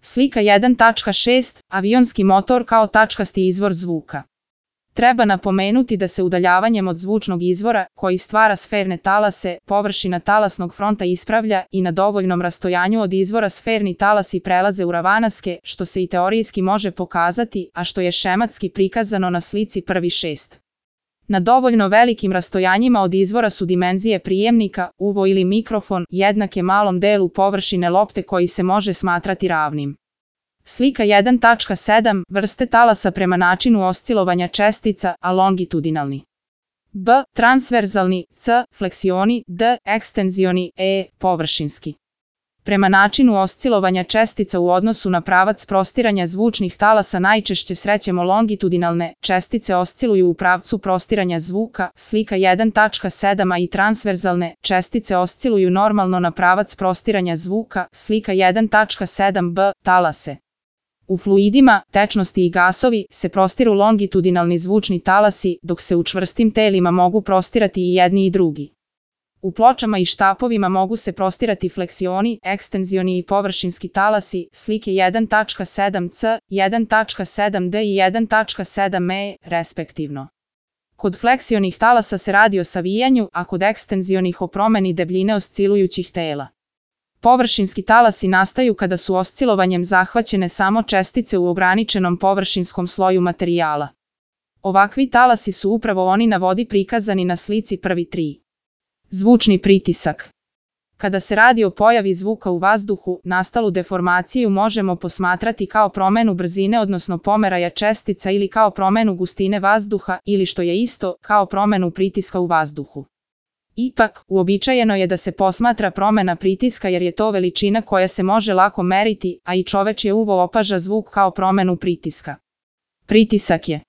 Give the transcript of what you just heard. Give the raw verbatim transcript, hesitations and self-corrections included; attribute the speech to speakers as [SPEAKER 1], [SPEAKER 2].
[SPEAKER 1] Slika jedan tačka šest. Avionski motor kao tačkasti izvor zvuka. Treba napomenuti da se udaljavanjem od zvučnog izvora, koji stvara sferne talase, površina talasnog fronta ispravlja i na dovoljnom rastojanju od izvora sferni talasi prelaze u ravanaske, što se i teorijski može pokazati, a što je šematski prikazano na slici prvi šest. Na dovoljno velikim rastojanjima od izvora su dimenzije prijemnika, uvo ili mikrofon, jednake malom delu površine lopte koji se može smatrati ravnim. Slika jedan tačka sedam. Vrste talasa prema načinu oscilovanja čestica, a longitudinalni. B. Transverzalni. C. Fleksioni. D. Ekstenzioni. E. Površinski. Prema načinu oscilovanja čestica u odnosu na pravac prostiranja zvučnih talasa najčešće srećemo longitudinalne, čestice osciluju u pravcu prostiranja zvuka, slika jedan tačka sedam, a i transverzalne, čestice osciluju normalno na pravac prostiranja zvuka, slika jedan tačka sedam b, talase. U fluidima, tečnosti i gasovi, se prostiru longitudinalni zvučni talasi, dok se u čvrstim telima mogu prostirati i jedni i drugi. U pločama i štapovima mogu se prostirati fleksioni, ekstenzioni i površinski talasi, slike jedan tačka sedam c, jedan tačka sedam d i jedan tačka sedam e, respektivno. Kod fleksionih talasa se radi o savijanju, a kod ekstenzionih o promeni debljine oscilujućih tela. Površinski talasi nastaju kada su oscilovanjem zahvaćene samo čestice u ograničenom površinskom sloju materijala. Ovakvi talasi su upravo oni na vodi prikazani na slici prvi tri. Zvučni pritisak. Kada se radi o pojavi zvuka u vazduhu, nastalu deformaciju možemo posmatrati kao promenu brzine odnosno pomeraja čestica ili kao promenu gustine vazduha ili što je isto, kao promenu pritiska u vazduhu. Ipak, uobičajeno je da se posmatra promena pritiska jer je to veličina koja se može lako meriti, a i čovečje uvo opaža zvuk kao promenu pritiska. Pritisak je